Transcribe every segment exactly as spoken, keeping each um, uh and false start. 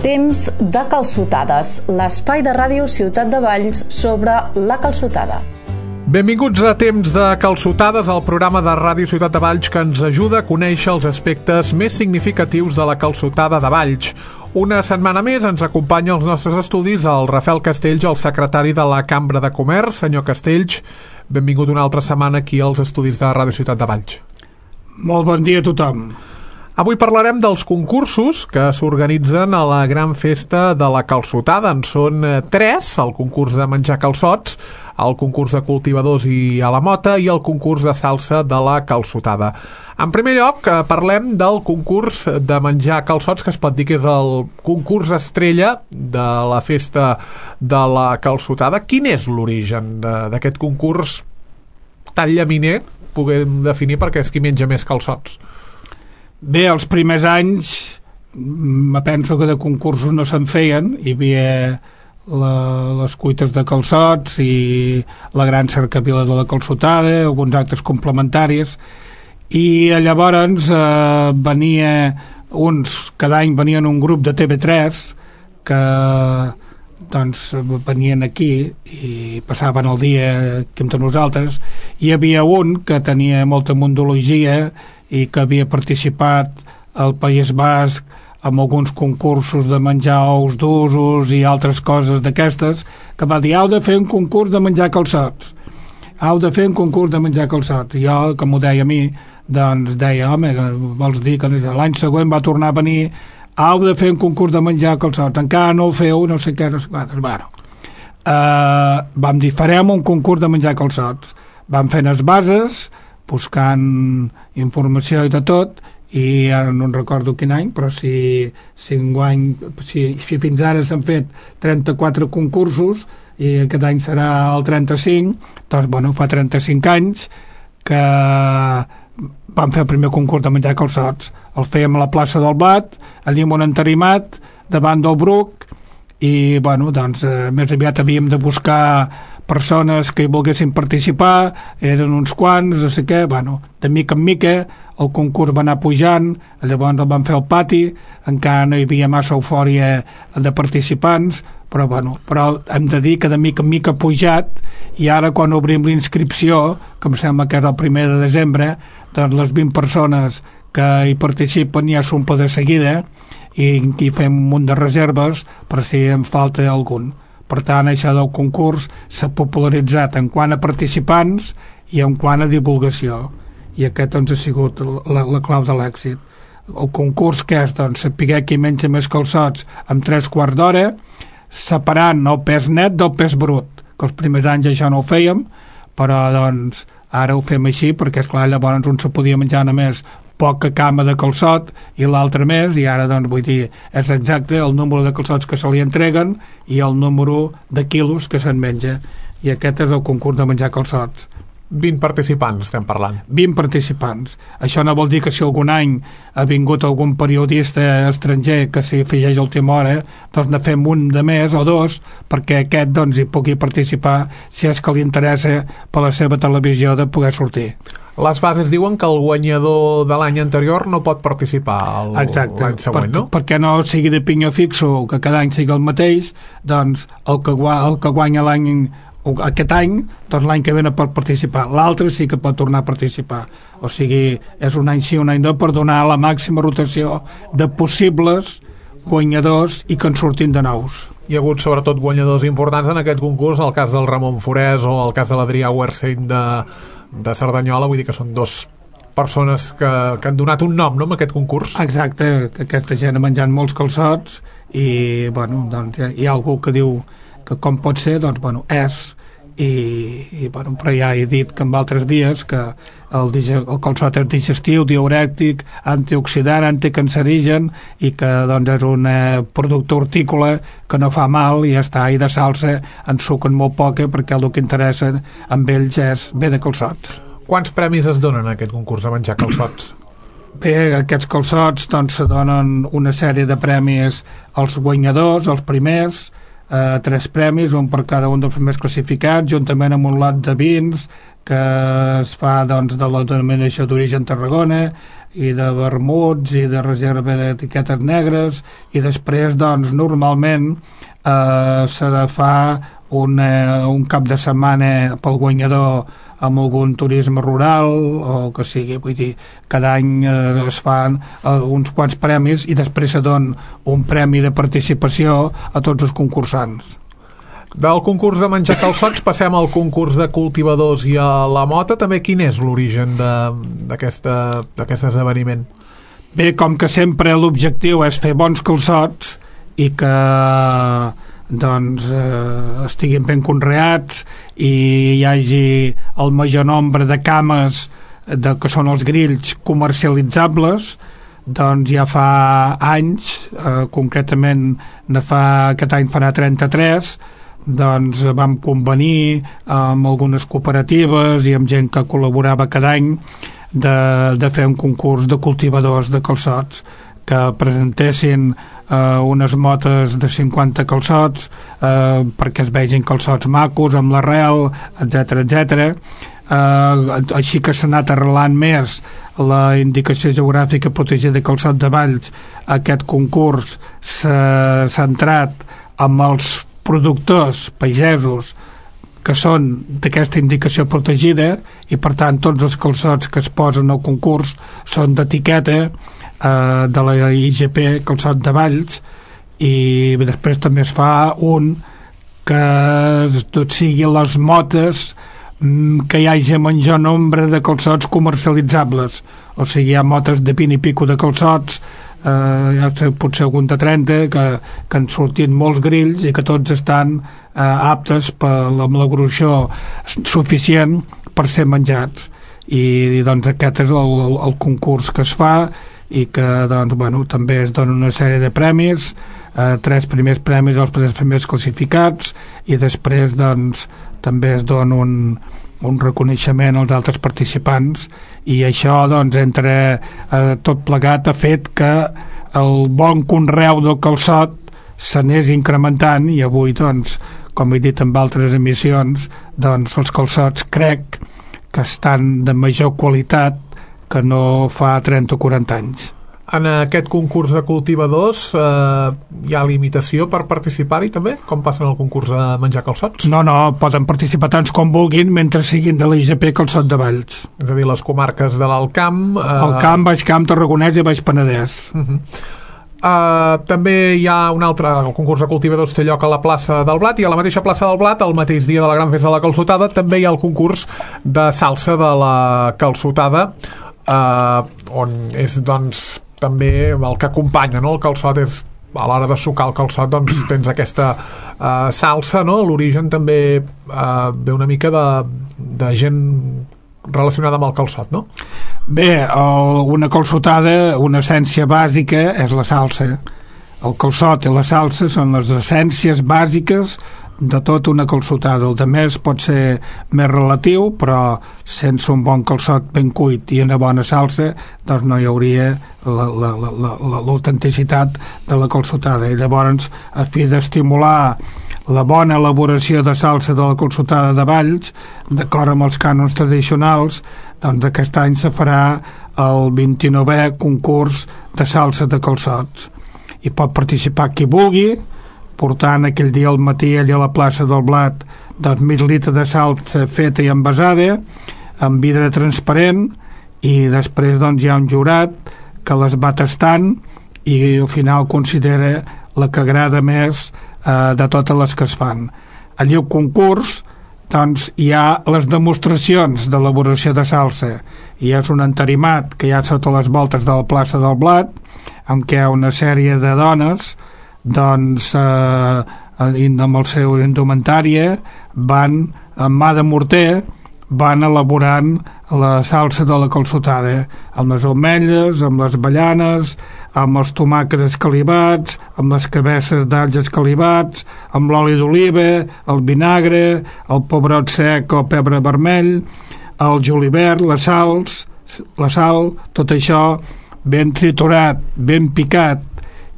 Temps de calçotades, l'espai de ràdio Ciutat de Valls sobre la calçotada. Benvinguts a Temps de calçotades, el programa de ràdio Ciutat de Valls que ens ajuda a conèixer els aspectes més significatius de la calçotada de Valls. Una setmana més ens acompanya als nostres estudis el Rafael Castells, el secretari de la Cambra de Comerç. Senyor Castells, benvingut una altra setmana aquí als estudis de ràdio Ciutat de Valls. Molt bon dia a tothom. Avui parlarem dels concursos que s'organitzen a la gran festa de la calçotada. En són tres: el concurs de menjar calçots, el concurs de cultivadors i a la mota i el concurs de salsa de la calçotada. En primer lloc, parlem del concurs de menjar calçots, que es pot dir que és el concurs estrella de la festa de la calçotada. Quin és l'origen d'aquest concurs tan llaminer, puguem definir, perquè és qui menja més calçots? Bé, els primers anys me penso que de concursos no se'n feien. Hi havia la, les cuites de calçots i la gran cercavila de la calçotada, alguns actes complementaris, i llavors eh, venia uns, cada any venien un grup de T V tres que doncs venien aquí i passaven el dia aquí amb nosaltres. Hi havia un que tenia molta mundologia i que havia participat al País Basc amb alguns concursos de menjar ous d'usos i altres coses d'aquestes, que va dir: heu de fer un concurs de menjar calçots, heu de fer un concurs de menjar calçots. I jo, com ho deia a mi, doncs deia: home, vols dir que l'any següent va tornar a venir, heu de fer un concurs de menjar calçots, encara no ho feu, no sé què, no sé què. Bueno, uh, vam dir: farem un concurs de menjar calçots. Vam fer les bases, buscant informació i de tot, i ara no en recordo quin any, però si, si, enguany, si, si fins ara s'han fet trenta-quatre concursos i aquest any serà el trenta-cinc, doncs bueno, fa trenta-cinc anys que vam fer el primer concurs de menjar calçots. El fèiem a la plaça del Bat, allà amb un entarimat davant del Bruc, i bueno, doncs eh, més aviat havíem de buscar persones que hi volguessin participar, eren uns quants, no sé què. Bueno, de mica en mica el concurs va anar pujant, llavors el van fer al pati, encara no hi havia massa eufòria de participants, però bueno, però hem de dir que de mica en mica ha pujat, i ara quan obrim l'inscripció, que em sembla que és el primer de desembre, doncs les vint persones que hi participen ja s'omple de seguida, i aquí fem un munt de reserves per si en falta algun. Per tant, això del concurs s'ha popularitzat en quant a participants i en quant a divulgació, i aquest doncs ha sigut la, la clau de l'èxit. El concurs que és, doncs, saber qui menja més calçots en tres quarts d'hora, separant el pes net del pes brut, que els primers anys això no ho fèiem, però doncs ara ho fem així, perquè esclar, llavors un se podia menjar només poca cama de calçot i l'altre més, i ara doncs vull dir, és exacte el número de calçots que se li entreguen i el número de quilos que se'n menja, i aquest és el concurs de menjar calçots. vint participants estem parlant. vint participants. Això no vol dir que si algun any ha vingut algun periodista estranger que s'hi afegeix a última hora, doncs ne fem un de més o dos perquè aquest doncs hi pugui participar si és que li interessa per la seva televisió de poder sortir. Les bases diuen que el guanyador de l'any anterior no pot participar l'any següent, per, no? Perquè no sigui de pinyó fixo, que cada any sigui el mateix, doncs el que, el que guanya l'any aquest any, doncs l'any que ve no pot participar, l'altre sí que pot tornar a participar. O sigui, és un any sí, un any no, per donar la màxima rotació de possibles guanyadors i que en surtin de nous. Hi ha hagut sobretot guanyadors importants en aquest concurs, el cas del Ramon Forès o el cas de l'Adrià Wersheim de, de Cerdanyola, vull dir que són dos persones que, que han donat un nom, no?, amb aquest concurs. Exacte, que aquesta gent ha menjat molts calçots i, bueno, doncs hi ha, hi ha algú que diu que com pot ser, doncs, bueno, és, i, i bueno, però ja he dit que en altres dies que el, el calçot és digestiu, diurètic, antioxidant, anticancerigen, i que doncs és un eh, producte hortícola que no fa mal, i ja està, i de salsa en suquen molt poca, perquè el que interessa amb ells és bé de calçots. Quants premis es donen a aquest concurs de menjar calçots? Bé, aquests calçots doncs se donen una sèrie de premis als guanyadors, als primers, eh, tres premis, un per cada un dels primers classificats, juntament amb un lot de vins que es fa doncs de la denominació d'origen Tarragona, i de vermuts i de reserva d'etiquetes negres, i després doncs normalment eh, s'ha de fa una, un cap de setmana pel guanyador amb algun turisme rural o que sigui, vull dir, cada any eh, es fan eh, uns quants premis i després se dona un premi de participació a tots els concursants. Del concurs de menjar calçots passem al concurs de cultivadors i a la mota. També quin és l'origen d'aquest esdeveniment? Bé, com que sempre l'objectiu és fer bons calçots i que doncs eh, estiguin ben conreats i hi hagi el major nombre de cames de, que són els grills comercialitzables, doncs ja fa anys, eh, concretament ne fa, aquest any farà trenta-tres, doncs vam convenir amb algunes cooperatives i amb gent que col·laborava cada any de, de fer un concurs de cultivadors de calçots que presentessin eh, unes motes de cinquanta calçots eh, perquè es vegin calçots macos amb l'arrel, etcètera etcètera. Eh, així que s'ha anat arrelant més la indicació geogràfica protegida de calçot de Valls. Aquest concurs s'ha centrat amb els productors pagesos que són d'aquesta indicació protegida i per tant tots els calçots que es posen al concurs són d'etiqueta eh, de la I G P Calçot de Valls, i després també es fa un que tot sigui les motes que hi hagi major nombre de calçots comercialitzables, o sigui hi ha motes de vint i pico de calçots, eh, ja sé, potser algun de trenta que, que han sortit molts grills i que tots estan eh, aptes per, amb la gruixó suficient per ser menjats, i, i doncs aquest és el, el, el concurs que es fa i que doncs, bueno, també es dona una sèrie de premis, eh, tres primers premis als tres primers classificats, i després doncs també es dona un, un reconeixement als altres participants, i això doncs entre eh, tot plegat ha fet que el bon conreu del calçot s'anés incrementant, i avui doncs, com he dit en altres emissions, doncs els calçots crec que estan de major qualitat que no fa trenta o quaranta anys. En aquest concurs de cultivadors eh, hi ha limitació per participar-hi també, com passa en el concurs de menjar calçots? No, no, poden participar tants com vulguin mentre siguin de l'I G P Calçot de Valls. És a dir, les comarques de l'Alt Camp... Eh... Alt Camp, Baix Camp, Tarragonès i Baix Penedès. Uh -huh. Uh, també hi ha un altre, el concurs de cultivadors té lloc a la plaça del Blat, i a la mateixa plaça del Blat, el mateix dia de la gran festa de la calçotada, també hi ha el concurs de salsa de la calçotada, uh, on és doncs també el que acompanya, no? El calçot és, a l'hora de sucar el calçot doncs tens aquesta uh, salsa, no? L'origen també uh, ve una mica de, de gent relacionada amb el calçot, no? Bé, el, una calçotada, una essència bàsica és la salsa. El calçot i la salsa són les essències bàsiques de tota una calçotada. El de més pot ser més relatiu, però sense un bon calçot ben cuit i una bona salsa, doncs no hi hauria l'autenticitat de la calçotada. I llavors, a fi d'estimular la bona elaboració de salsa de la calçotada de Valls, d'acord amb els cànons tradicionals, doncs aquest any se farà el vint-i-novè concurs de salsa de calçots. Hi pot participar qui vulgui, portant aquell dia al matí allà a la plaça del Blat doncs mig litre de salsa feta i envasada, amb vidre transparent, i després doncs hi ha un jurat que les va tastant i al final considera la que agrada més eh, de totes les que es fan. Allí al concurs doncs hi ha les demostracions d'elaboració de salsa, i és un entarimat que hi ha sota les voltes de la plaça del Blat, en què una sèrie de dones doncs eh, amb el seu indumentària van amb mà de morter van elaborant la salsa de la calçotada, amb les ametlles, amb les avellanes, amb els tomàquets escalivats, amb les cabesses d'alls escalivats, amb l'oli d'oliva, el vinagre, el pebrot sec o pebre vermell, el julivert, les sals, la sal, tot això ben triturat, ben picat,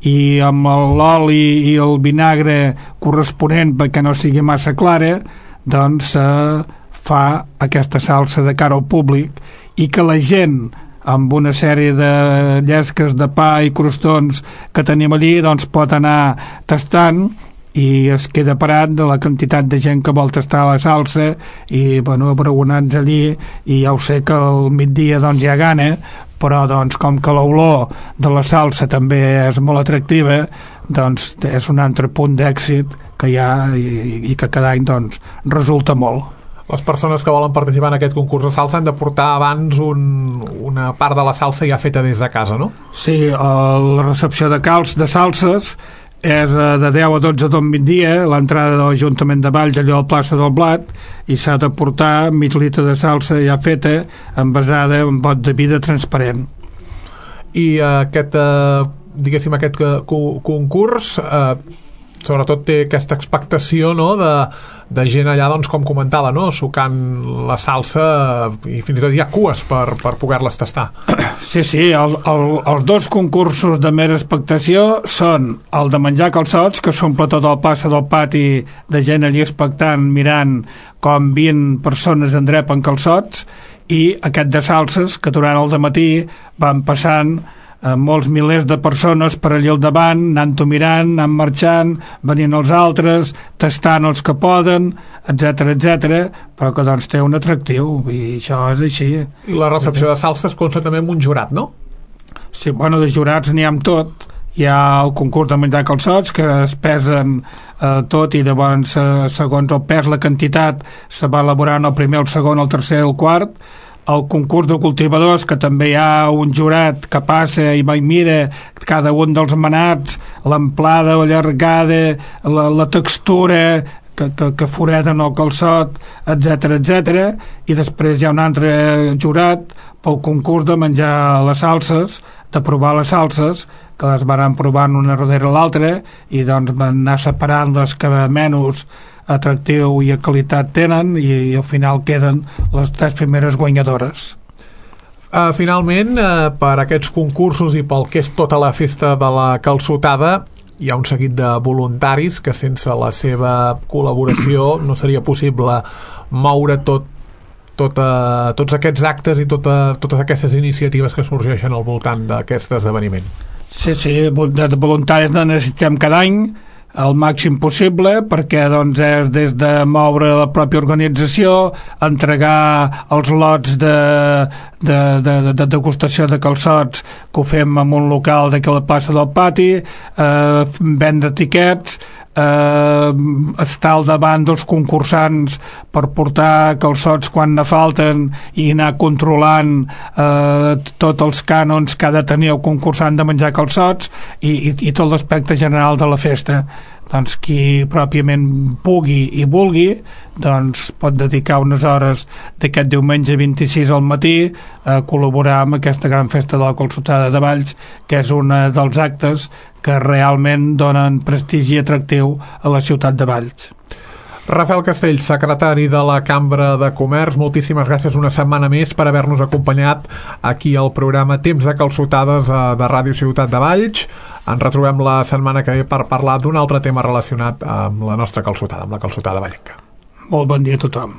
i amb l'oli i el vinagre corresponent perquè no sigui massa clara, doncs eh, fa aquesta salsa de cara al públic, i que la gent amb una sèrie de llesques de pa i crostons que tenim allí, doncs pot anar tastant i es queda parat de la quantitat de gent que vol tastar la salsa i, bueno, abragonats allí, i ja ho sé que al migdia doncs hi ha gana, però doncs com que l'olor de la salsa també és molt atractiva, doncs és un altre punt d'èxit que hi ha i, i que cada any doncs resulta molt. Les persones que volen participar en aquest concurs de salsa han de portar abans un, una part de la salsa ja feta des de casa, no? Sí, la recepció de calç de salses és de deu a dotze del migdia, l'entrada de l'Ajuntament de Valls, allò a plaça del Blat, i s'ha de portar mig litre de salsa ja feta, envasada en bot de vidre transparent. I aquest, eh, diguéssim, aquest concurs eh, sobretot té aquesta expectació, no?, de, de gent allà, doncs, com comentava, no?, sucant la salsa, i fins i tot hi ha cues per, per poder-les tastar. Sí, sí, el, el, els dos concursos de més expectació són el de menjar calçots, que s'omple tot el plaça del pati de gent allí expectant, mirant com vint persones endrepen calçots, i aquest de salses, que durant el dematí van passant molts milers de persones per allà al davant, anant-ho mirant, anant marxant, venint els altres, tastant els que poden, etcètera, etcètera, però que doncs té un atractiu, i això és així. I la recepció de salses consta també amb un jurat, no? Sí, bueno, de jurats n'hi ha amb tot. Hi ha el concurs de menjar calçots, que es pesen eh, tot, i llavors, eh, segons el pes, la quantitat, se va elaborant el primer, el segon, el tercer, el quart. El concurs de cultivadors, que també hi ha un jurat que passa i va i mira cada un dels manats, l'amplada, la llargada, la, la textura que, que, que foreden el calçot, etcètera, etcètera, i després hi ha un altre jurat pel concurs de menjar les salses, de provar les salses, que les van provant una darrere l'altra, i doncs van anar separant les que menys atractiu i a qualitat tenen, i al final queden les tres primeres guanyadores. Uh, finalment, uh, per aquests concursos i pel que és tota la festa de la calçotada, hi ha un seguit de voluntaris que sense la seva col·laboració no seria possible moure tot, tota, tots aquests actes i tota, totes aquestes iniciatives que sorgeixen al voltant d'aquest esdeveniment. Sí, sí, de voluntaris ne necessitem cada any el màxim possible, perquè doncs és des de moure la pròpia organització, entregar els lots de, de, de, de degustació de calçots, que ho fem en un local d'aquí a la plaça del Pati, eh, vendre tiquets, eh, estar al davant dels concursants per portar calçots quan ne falten i anar controlant eh, tots els cànons que ha de tenir el concursant de menjar calçots, i, i, i tot l'aspecte general de la festa. Doncs qui pròpiament pugui i vulgui, doncs pot dedicar unes hores d'aquest diumenge vint-i-sis al matí a col·laborar amb aquesta gran festa de la calçotada de Valls, que és un dels actes que realment donen prestigi atractiu a la ciutat de Valls. Rafael Castells, secretari de la Cambra de Comerç, moltíssimes gràcies una setmana més per haver-nos acompanyat aquí al programa Temps de Calçotades de Ràdio Ciutat de Valls. Ens retrobem la setmana que ve per parlar d'un altre tema relacionat amb la nostra calçotada, amb la calçotada vallenca. Molt bon dia a tothom.